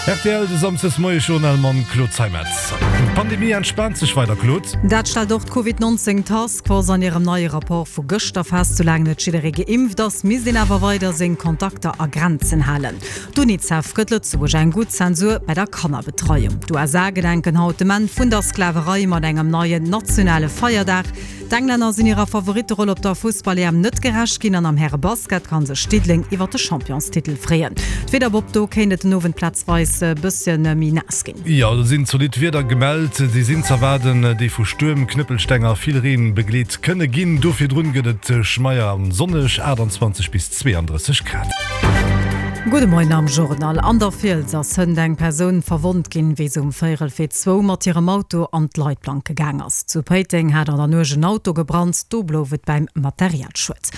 Rtl, de Samsdes-Moie-Journal mam Claude Zeimetz. D'Pandemie entspaant sech weider, Claude. Dat stellt och d'Covid 19 Task Force an hirem neie Rapport vu gëschter fest. Soulaang net jidderee geimpft ass, misst een awer weider seng Kontakter a Grenzen halen. D'Unicef gëtt Lëtzebuerg eng gutt Zensur bei der Kannerbetreiung. D'USA gedenken haut dem Enn vun der Sklaverei mat engem neien nationale Feierdag. D'Englänner sinn hirer Favoritteroll op der Fussball-EM net gerecht ginn an am Häre-Basket ka sech Diddeleng iwwer de Championstitel freeën. D'Wieder Bob, do kéint et den Owend plazweis e bëssche méi naass ginn. Jo, do sinn zolidd Wieder gemellt. Déi sinn z'erwaarden, déi vu Stuerm, Knëppelsteng a vill Reen begleet kënne ginn. Do virdrun gëtt et schmeier an sonneg, 28 bis 32 Grad. Gudde Moien am Journal. An der Fiels ass hënt eng Persoun verwonnt ginn, wéi se um véierel fir zwou mat hirem Auto an d'Leitplanke gaang ass. Zu Péiteng hat an der Nuecht en Auto gebrannt, do blouf et bäim Materialschued.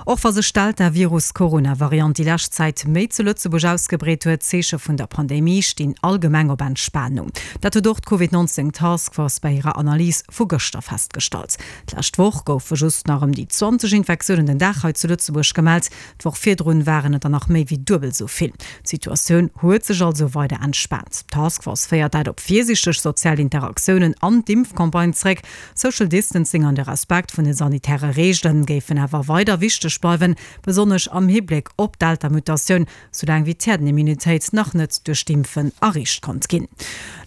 Och wa sech d'Delta-Virus-Corona-Variant déi lescht Zäit méi zu Lëtzebuerg ausgebreet huet, d'Zeeche vun der Pandemie stinn allgemeng op Entspanung. Dat huet och d'Covid 19 Task Force bei hirer Analys vu gëschter festgestallt. D'lescht Woch goufe just nach ëm déi 20 Infektiounen den Dag hei zu Lëtzebuerg gemellt. D'Woch virdrun waren et der nach méi wéi duebel esou vill. D'Situatioun huet sech also weider entspaant. D'Task Force féiert dat op virsiichteg sozial Interaktiounen an d'Impfcampagne zréck. Social Distancing an de Respekt vun de sanitäre Reegele géifen awer weider wichteg bleiwen, besonnesch am Hibléck op d'Delta-Mutatioun, soulaang wéi d'Häerdenimmunitéit nach net duerch d'Impfen erreecht konnt ginn.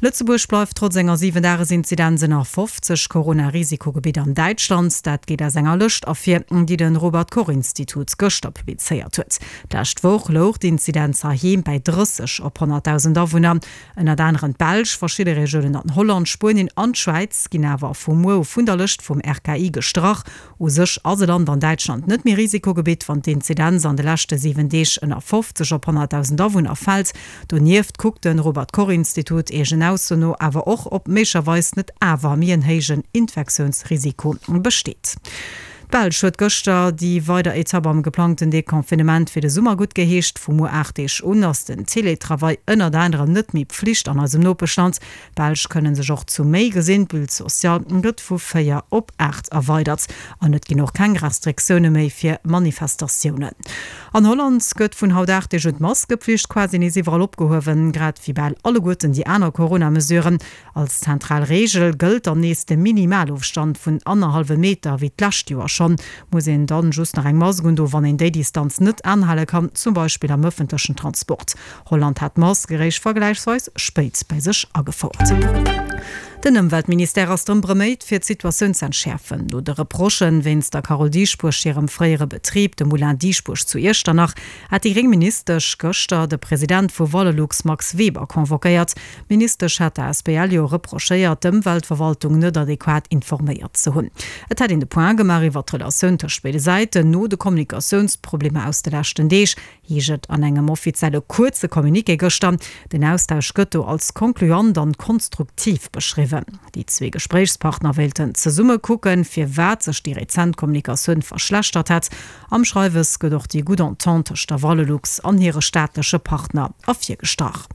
Lëtzebuerg bleift trotz enger 7-Dages-Inzidenz ënner 50 Corona-Risikogebitt an Däitschland. Dat geet aus enger Lëscht ervir, déi de Robert-Koch-Institut gëschter publizéiert huet. D'lescht Woch louch d'Inzidenz heiheem bäi 30 op 100.000 Awunner. Ënnert anerem d'Belsch, verschidde Regiounen an Holland, Spuenien an d'Schwäiz ginn awer vu muer u vun der Lëscht vum RKI gestrach. U sech ass e Land an Däitschland net méi Risikogebitt, wann d'Inzidenz an de leschte 7 Deeg ënner 50 op 100.000 Awunner fält. Donieft kuckt de Robert Koch Institut eegen Ausso no awer och, ob méiglecherweis net awer méi en héijen Infektiounsrisiko besteet. D'Belsch huet gëschter déi weider Etapp am geplangten Deconfinement fir de Summer guttgeheescht. Vu muer 8 Deeg un ass den Teletravail ënnert anerem net méi Pflicht an eisem Nopeschland. D'Belsch kënne sech och zu méi gesinn. D'Bulle sociale gëtt vu 4 op 8 erweidert an et ginn och keng Restriktioune méi fir Manifestatiounen. An Holland gëtt vun haut 8 Deeg un d'Maskepflicht quasi nees iwwerall opgehuewen, grad wéi bal alleguerten déi aner Corona-Mesuren. Als zentral Reegel gëllt dann nees de Minimalofstand vun annerhallwem Meter. Wéi d'lescht Joer schonn, muss een dann just nach eng Mask undoen, wann een déi Distanz net anhale kann, zum Beispill am ëffentlechen Transport. Holland hat d'Mask eréischt vergläichsweis spéit bei sech agefouert. Den Ëmweltministère ass drëm beméit, fir d'Situatioun z'entschäerfen. No de Reprochen wéinst der Carole Dieschbourg hirem fréiere Betrib, dem Moulin Dieschbourg zu Iechternach, hat déi gréng Ministesch gëschter de President vu Valorlux Max Weber convoquéiert. D'Ministesch hat der Asbl jo reprochéiert, d'Ëmweltverwaltung net adequat informéiert ze hunn. Et hätt een de Point gemaach iwwer d'Relatioun tëscht béide Säiten no de Kommunikatiounsproblemer aus de leschten Deeg. Heescht et an engem offizielle kuerze Communiqué gëschter. Den Austausch gëtt do als concluant an konstruktiv beschriwwen. Déi zwee Gespréichspartner wéilten zesumme kucken, firwat sech déi rezent Kommunikatioun verschlechtert hätt. Am Schreiwes gëtt och déi gutt Entente tëscht der Valelux an hire staatleche Partner ervirgestrach.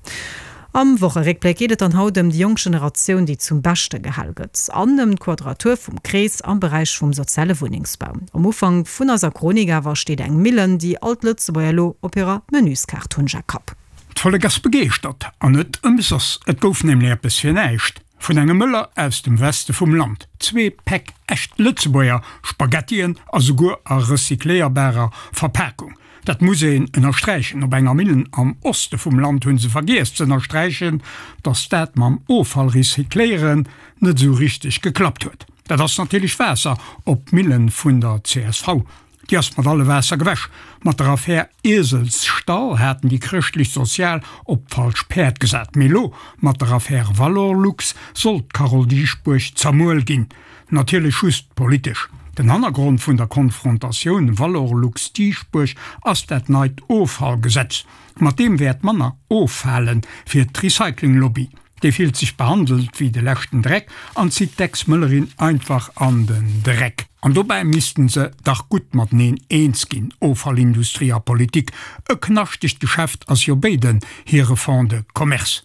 Am Wocheréckbléck geet et dann haut ëm déi jonk Generatioun, déi zum Beschte gehal gëtt, an ëm d'Quadratur vum Krees am Beräich vum soziale Wunnengsbau. Um Ufank vun eiser Chronik awer steet eng Millen, déi all d'Lëtzebuerger elo op hirer Menüskaart hunn, Jacques Kapp. D'Vollek ass begeeschtert, an net ëmsoss. Et gouf nämlech eppes fir näischt vun engem Mëller aus dem Weste vum Land, zwee Päck echt Lëtzebuerger Spaghettien a souguer a recycléierbarer Verpakung. Dat muss een ënnersträichen. Op enger Millen am Oste vum Land hu se vergiess ze ënnersträichen, datt dat mam Offallrecycléieren net esou richteg geklappt huet. Dat ass natierlech Waasser op d'Millen vun der csv. Déi ass mat alle Waasser gewäsch. Mat der Affär Ieselsstall haten déi Chrëschtlech-Sozial op d'falsch Päerd gesat. Mee elo, mat der Affär Valorlux, soll d'Carole Dieschbourg zermuel ginn. Natierlech just politesch. Den Hannergrond vun der Konfrontatioun Valorlux-Dieschbourg ass dat neit Offallgesetz. Mat deem wäert manner offale fir d'Recycling-Lobby. Déi fillt sech behandelt wéi de leschten Dreck an zitt d'Ex-Mëllerin einfach an den Dreck. An dobäi missten se dach gutt mateneen eens ginn, Offallindustrie a Politik. E knaschtegt Geschäft ass jo béiden hire Fonds de commerce.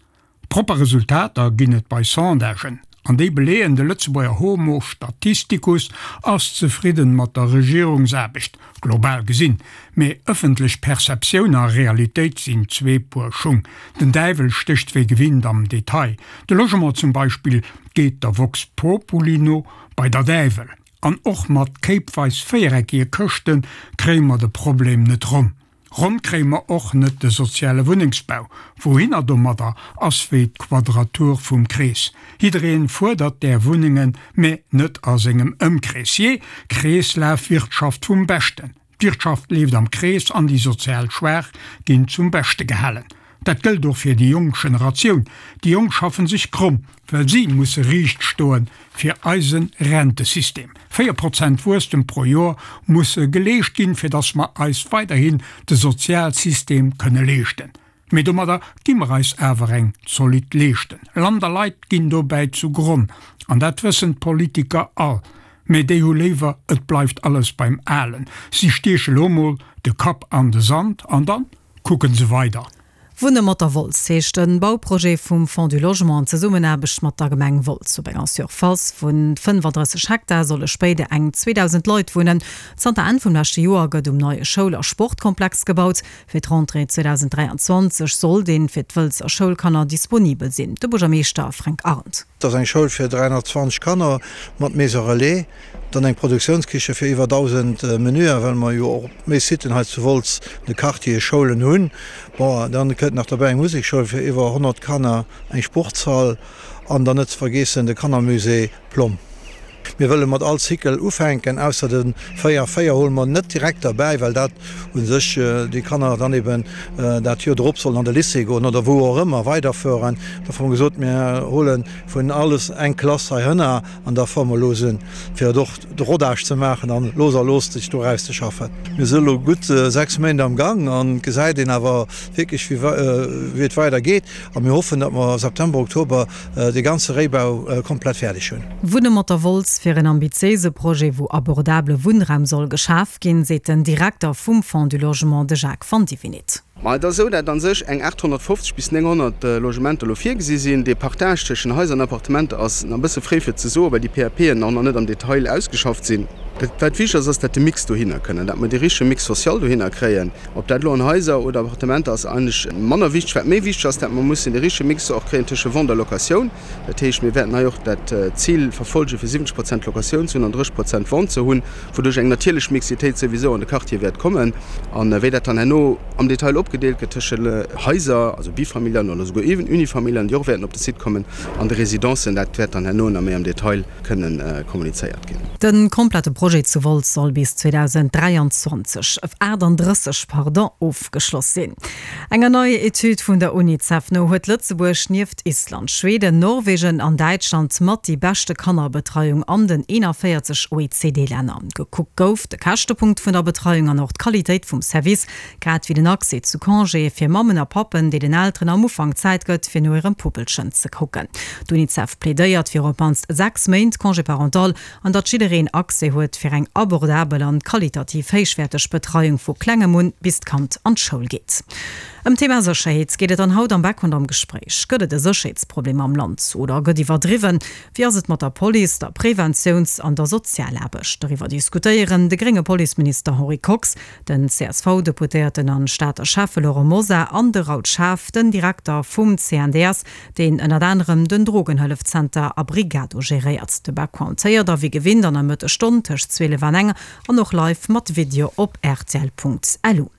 Propper Resultater ginn et bei Sondagen. An déi beleeën, de Lëtzebuerger Homo statisticus ass zefridden mat der Regierungsaarbecht, global gesinn. Mee ëffentlech Perceptioun a Realitéit sinn zwee Puer Schung. Den Däiwel stécht wéi gewinnt am Detail. De Logement zum Beispill geet der Vox Populi no bei der Däiwel. An och mat kéipweis véiereckige Këschte kréie mer de Problem net ronn. Ronn kréie mer och net de soziale Wunnengsbau. Wouhinner domadder ass wéi d'Quadratur vum Krees. Jiddereen fuerdert där Wunnengen, mä net a sengem Ëmkrees. Jee, Kreeslafwirtschaft vum Beschten. D'Wirtschaft leeft am Krees an déi sozial Schwaach ginn zum Beschte gehalen. Dat gëllt och fir déi jonk Generatioun. Déi Jonk schaffen sech kromm, well si musse riicht stoen fir eise Rentesystem. 4 Prozent Wuesstem pro Joer musse geleescht ginn, fir datt mer eis weiderhin de Sozialsystem kënne leeschten. Mee domadder gi mer eis awer eng zolidd Leeschten. Land a Leit ginn dobäi zu Gronn. An dat wëssen d'Politiker all. Mee déi hu léiwer, et bleift alles beim Alen. Si stieche lo mol de Kapp an de Sand an dann kucken se weider. Wunne mat der Wolz heescht e Bauprojet vum Fonds du Logement an Zesummenaarbecht mat der Gemeng Wolz. Op enger Surface vu 35 Hektar solle spéider eng 2.000 Leit wunnen. Zanter Enn vum leschte Joer gëtt um neie Schoul a Sportkomplex gebaut. Fir d'Rentrée 2023 soll deen fir d'Wëlzer Schoulkanner disponibel sinn. De Buergermeeschter Fränk Arndt. Et ass eng Schoul fir 320 Kanner mat Maison Relais, dann eng Produktiounskiche fir iwwer 1.000 Menüer, well mer jo och méi Siten hei zu Wolz, de Quartiere Schoulen hunn. Bon, dann kënnt nach derbäi eng Musekschoul fir iwwer 100 Kanner, eng Sportshall an dann net ze vergeessen de Kannermusée Plomm. Mir wëlle mat all Cycle ufänken, ausser de 4 a 4 hole mer net direkt derbäi, well dat u sech déi Kanner dann eben dat Joer drop sollen an de Lycée goen oder wou och ëmmer weiderfueren. Da hu mer gesot, mir hole vun alles eng Klass heihënner an da fuere mer los un, fir et och de Rodage ze maachen an los a los sech do erauszeschaffen. Mir si elo gutt 6 Méint am Gang an et gesäit een awer wierklech, wéi et weidergeet a mir hoffen, datt mer September, Oktober de ganze Réibau komplett fäerdeg hunn. Wunne mat der Wolz fir en ambitiéise Projet, wou abordabele Wunnraum soll geschaf ginn, seet den Direkter vum Fonds du Logement, de Jacques Vandivinit. Ma et ass esou, dat a sech eng 850 bis 900 Logementer elo virgesi sinn. Dee Partage tëschent Haiser an Appartementer ass nach e bësse fréi fir ze soen, well déi PAPen och nach net am Detail ausgeschafft sinn. Dat wat wichteg ass, ass dat de Mix dohinner kënn an dat mer dee richtege Mix social dohinner kréien. Ob dat elo an Haiser oder Appartementer ass eigentlech manner wichteg. Wat méi wichteg ass, dat mer mussen de richtege Mix och kréien tësche Vente a Locatioun. Dat heescht, mir wäerten hei och dat Zil verfolgen, fir 70 Prozent Locatioun ze hunn an 30 Prozent Vente ze hunn, wouduerch eng natierlech Mixitéit souwisou an de Quartiere wäert kommen. A wéi dat dann herno am Detail opgedeelt gëtt tësche Haiser, also Bifamilialen oder souguer Unifamilialen, déi och wäerten op de Site kommen, an de Residencen, dat wäert dann herno nach méi am Detail kënnen kommunizéiert ginn. De komplette Projet zu Wolz soll bis 2023, 38 pardon, ofgeschloss sinn. Enger neier Etüd vun der Unicef no huet Lëtzebuerg nieft Island, Schweden, Norwegen an Däitschland mat déi beschte Kannerbetreiung an den 41 OECD-Länner. Gekuckt gouf de Käschtepunkt vun der Betreiung an och d'Qualitéit vum Service, Grad wéi den Accès zu Congéë fir Mammen a Pappen, déi den Elteren am Ufank Zäit gëtt, fir no hirem Puppelchen ze kucken. D'Unicef plädéiert fir op d'mannst 6 Méint Congé parental an datt jiddereen Accès huet fir eng abordabel an qualitativ héichwäerteg Betreiung vu klengem un, bis d'Kand an d'Schoul geet. Ëm d'Thema Sécherheet geet et dann haut am Background am Gespréich. Gëtt et e Sécherheetsproblem am Land oder gëtt iwwerdriwwen? Wéi ass et mat der Police, der Preventiouns an der Sozialaarbecht? Doriwwer diskutéieren de grénge Policeminister Henri Kox, Den CSV-Deputéierten an Stater Schäffe Laurent Mosar an de Raoul Schaaf, den Direkter vum CNDS, deen ënnert anerem den Drogenhëllefzenter Abrigado geréiert. De Background héiert der wéi gewinnt an der Mëttesstonn tëscht 12 an eng an och live mat Video op rtl.lu.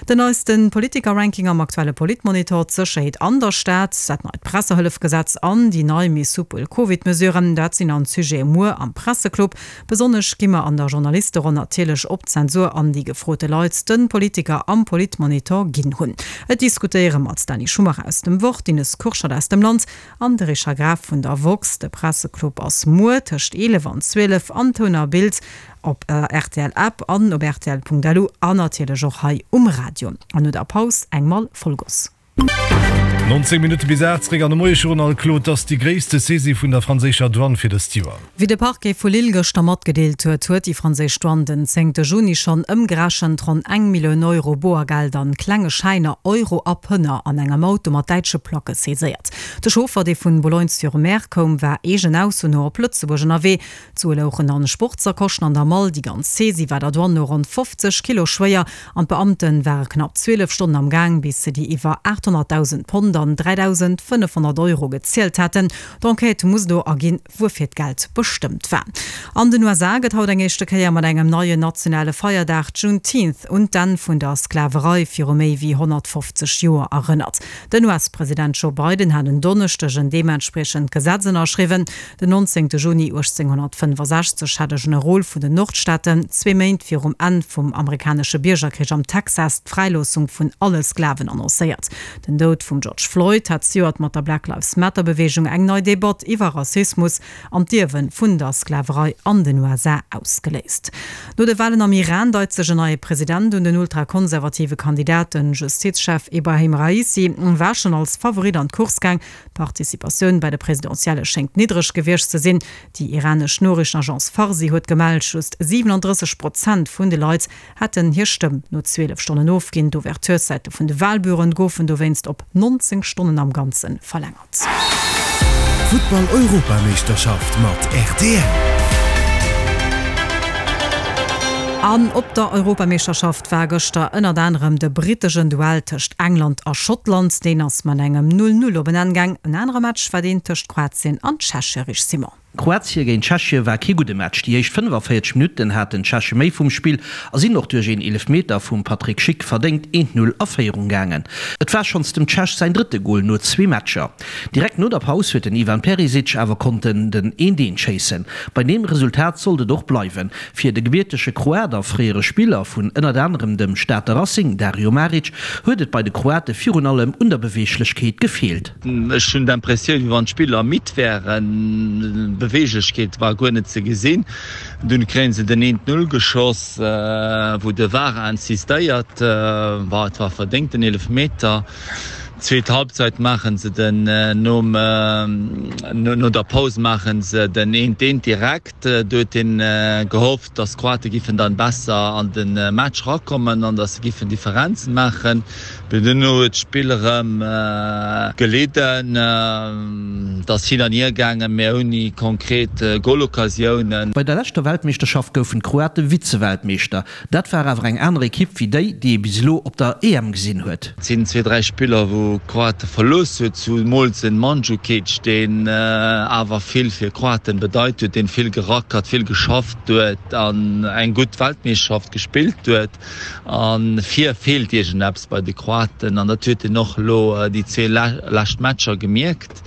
Den neiste Politiker-Ranking am aktuelle Politmonitor, d'Sécherheet an der Stad, dat neit Pressehëllefgesetz an déi nei méi soupel Covid-Mesuren, dat sinn an d'Sujete muer am Presseclub. Besonnesch gi mer an der Journalisteronn natierlech op d'Zensur an, déi gefrote Leit de Politiker am Politmonitor ginn hunn. Et diskutéiere mat Dany Schumacher aus dem Wort, Ines Kurschat aus dem Land an de Richard Graf vun der woxx. De Presseclub ass muer tëscht 11 an 12 an Toun a Bild op der rtl App an op rtl.lu an natierlech och hei um Radio. An no der Paus eng Mall Vollgoss. 19 Minutte bis 8, zeréck an de Moie-Journal. Claude, et ass déi gréisste Saisie vun der franséischer Douane fir dëst Joer. Wéi de Parquet vu Lille gëschter matgedeelt huet, huet déi franséisch Douane den zéngte Juni schonn ëmgerechent ronn eng Millioun Euro Boergeld an klenge Schäiner, Euro a Pënner an engem Auto mat däitsche Placke saiséiert. De Chauffer, dee vun Boulogne-sur-Mer koum, war eegen Ausso no op Lëtzebuerg ënnerwee. D'Sue louchen an Sportsacochen an der Mall. Déi ganz Saisie war der Douane no ronn 50 Kilo schwéier an d'Beamte ware knapp 12 Stonnen am Gaang, bis se déi iwwer 800.000 Pond an 3.500 Euro gezielt haten. D'Enquête muss elo erginn, wuerfir d'Geld bestëmmt war. An den USA gëtt haut eng éischte Kéier mat engem neien nationale Feierdag, Juneteenth, un d'Enn vun der Sklaverei viru méi wéi 150 Joer erënnert. Den US-President Joe Biden hat en Donneschdeg en deementspriechend Gesetz ënnerschriwwen. Den 19 Juni 1865 hat e Generol vun den Nordstaaten, zwee Méint virum Enn vum amerikanesche Biergerkrich am Texas, d'Fräiloossung vun alle Sklaven annoncéiert. Den Doud vum George Floyd hat zejoert mat der Black Lives Matter-Beweegung eng nei Debatt iwwer Rassismus an d'Ierwe vun der Sklaverei an den USA ausgeléist. No de Walen am Iran deit sech en neie President un. Den ultrakonservative Kandidat, den Justizchef Ebrahim Raisi, war schonn als Favorit an d'Course gaang. D'Participatioun bei de Presidentielle schéngt niddreg gewiescht ze sinn. Déi iranesch Noriichtenagence Farsi huet gemellt, just 37 Prozent vun de Leit hätten hir Stëmm no 12 Stonnen ofginn. D'Ouvertureszäite vun de Walbüroen goufen dowéinst op 19 Stonnen am Ganze verlängert. Futtball-Europameeschterschaft mat rtl. An op der Europameeschterschaft war gëschter ënnert anerem de brittegen Duell tëscht England a Schottland. Deen ass mat engem 0, 0 op en Enn gaang. En anere Match war deen tëscht Kroatien an Tschechie, Rich Simon. Kroatie géint Tschechie war kee gudde Match. Déi éischt 45 Minutten haten d'Tscheche méi vum Spill a sinn och duerch een Eelefmeter vum Patrik Schick verdéngt 1, 0 a Féierung gaangen. Et war schonns dem Tschech säin drëtte Gol no zwee Matcher. Direkt no der Paus huet den Ivan Perisic awer konnten den 1, 1 schéissen. Bei deem Resultat sollt et och bleiwen. Fir de gebiertege Kroat a fréiere Spiller vun ënnert anerem dem Stater Racing, Dario Maric, huet et bei de Kroate virun allem un der Beweeglechkeet gefeelt. Ech hunn d'Impressioun, wéi wann d'Spiller midd wären. Beweeglechkeet war guer net ze gesinn. Dunn kréie se den eent Null geschoss, wou de VAR insistéiert war. Et war verdéngt den Eelefmeter. Zweet Halbzeit maache se den nom no der Paus maache se den eent eent direkt. Do huet een gehofft, datt d'Kroate giffen dann besser an de Match rakommen an datt se giffen Differenzen maachen. Mee duerno huet d'Spill erëm gelidden. Et ass hin an hier gaangen, mee ouni konkret Goloccasiounen. Bei der leschter Weltmeeschterschaft goufen d'Kroate Vize-Weltmeeschter. Dat war awer eng aner Ekipp wéi déi, déi ee bis elo op der EM gesinn huet. Et sinn zwee, dräi Spiller, wou Kroate verlooss huet, zumools den Mandzukic, deen awer vill fir Kroaten bedeit huet, deen vill gerackert, vill geschafft huet an eng gutt Weltmeeschterschaft gespillt huet. A vir feelt iergendeppes bei de Kroaten an dat huet een och elo déi zwee lescht Matcher gemierkt.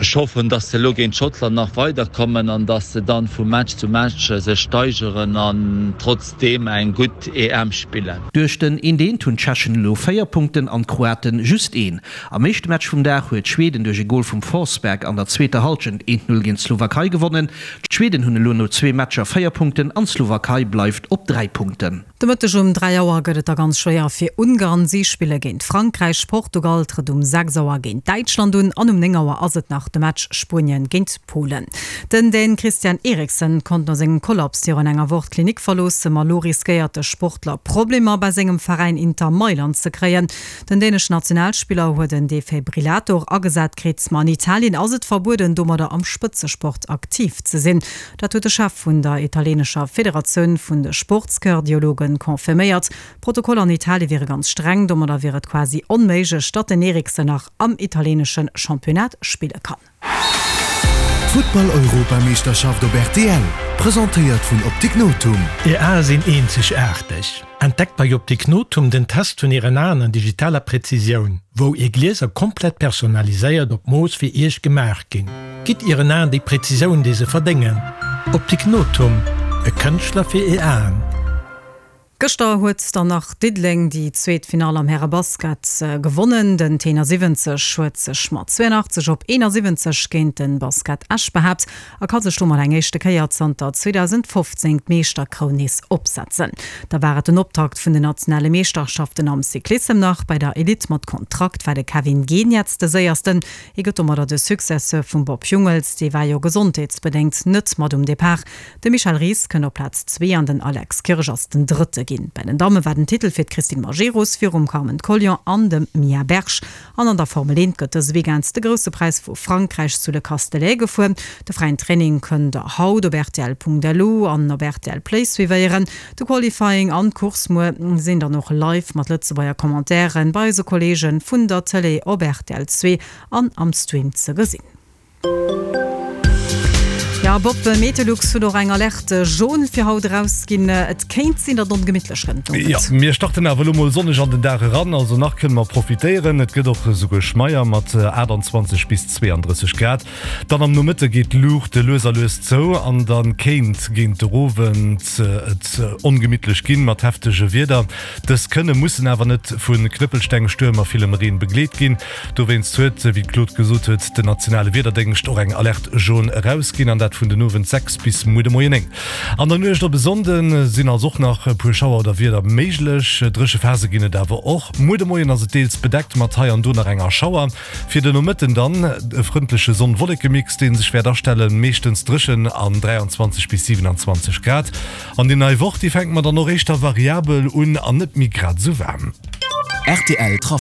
Ech hoffen, dass se elo géint Schottland nach weiderkommen an dass se dann vu Match zu Match sech steigeren an trotzdeem eng gutt EM spillen. Duerch den eent eent hunn d'Tschechen elo 4 Punkten an d'Kroaten just een. Am éischte Match vum Dag huet Schweden duerch e Gol vum Forsberg an der zweeter Hallschent eent Null géint d'Slowakei gewonnen. D'Schweden hunn elo no zwee Matcher 4 Punkten an d'Slowakei bleift op 3 Punkten. De Mëtteg um 3 Auer gëtt et da ganz schwéier fir Ungarn. Si spille géint Frankräich. Portugal trëtt um 6 Auer géint Däitschland un an um 9 Auer ass et nach de Match Spuenien géint Polen. Den Dän Christian Eriksen konnt no sengem Kollaps virun enger Woch d'Klinik verloossen, ma elo riskéiert de Sportler Problemer bei sengem Veräin Inter Mailand ze kréien. Den däneschen Nationalspiller huet en Defibrillator agesat kritt, ma an Italien ass et verbueden domadder am Spëtzesport aktiv ze sinn. Dat huet de Chef vun der italienescher Federatioun vun de Sportskardiologen confirméiert. D'Protokoller an Italie wiere ganz streng, domadder wier et quasi onméiglech, datt den Eriksen nach am italienesche Championnat spille kann. D'Futtball-Europameeschterschaft op rtl, presentéiert vun Optik Nothum. Är Ae sinn eenzegaarteg. Entdeckt bei Optik Nothum den Test vun Ären Aen an digitaler Präzisioun, wou Är Glieser komplett personaliséiert op Mooss fir Iech gemaach ginn. Gitt Ieren Aen déi Präzisioun, déi se verdéngen. Optik Nothum, e Kënschtler fir Är Aen. Gëschter huet dann nach Diddeleng déi zweet Finall am Härebasket gewonnen. Den Tenor 70 huet sech mat 82 op 71 géint de Basket Esch behaapt a ka sech domat eng éischte Kéier zanter 2015 d'Meeschterkroun nees opsetzen. Da war et den Optakt vun den nationale Meeschterschaften am Cyclissem nach. Bei der Elite mat Kontrakt war de Kevin Geniets de Séiersten. Hie gëtt domadder de Successeur vum Bob Jungels, dee war jo gesondheetsbedéngt net mat um Depart. De Michel Ries kënnt op Plaz zwee an den Alex Kirsch ass den Drëtte ginn. Bei den Damme war den Titel fir d'Christine Majerus virum Carmen Collion an dem Mia Berg. An an der Formel 1 gëtt dëse Weekend de Grousse Präis vu Frankräich zu Le Castellet gefuer. De fräien Training kënnt der haut op rtl.lu an op rtl Play suivéieren. De Qualifying an d'Course muer sinn dann och live mat Lëtzebuerger Commentairen bei eise Kolleege vun der Tëlee op rtl 2 an am Stream ze gesinn. Jo, Bob, Meteolux huet och eng Alerte jaune fir haut erausginn. Et kéint sinn, datt et ongemittlech gëtt den Owend. Jo, mir starten awer elo mol sonneg an den Dag eran, also nach kënne mer profitéieren. Et gëtt och esouguer schmeier mat 28 bis 32 Grad. Dann am Nomëtte geet d'Luucht lues a lues zou an da kéint géint de Owend et ongemittlech ginn mat heftege Wieder. Dës kënne, mussen awer net vu Knëppelsteng, Stuerm a villem Reen begleet ginn. Dowéinst huet, wéi d'Claude gesot huet, den nationale Wiederdéngscht och eng Alerte jaune erausginn, an dat vun den Owend 6 bis muer de Moien 9. An der Nuecht op e Sonnde sinn also och nach e puer Schauer oder Wieder méiglech. Dréche Phase ginn et awer och. Muer de Moien ass et deels bedeckt mat hei an do nach enger Schauer. Fir de Nomëtten dann e frëndleche Sonn-Wolleke-Mix, dee sech wäert astellen, meeschtens dréchen an 23 bis 27 Grad. An déi nei Woch, déi fänkt mer dann och éischter variabel un an net méi grad esou waarm. Rtl.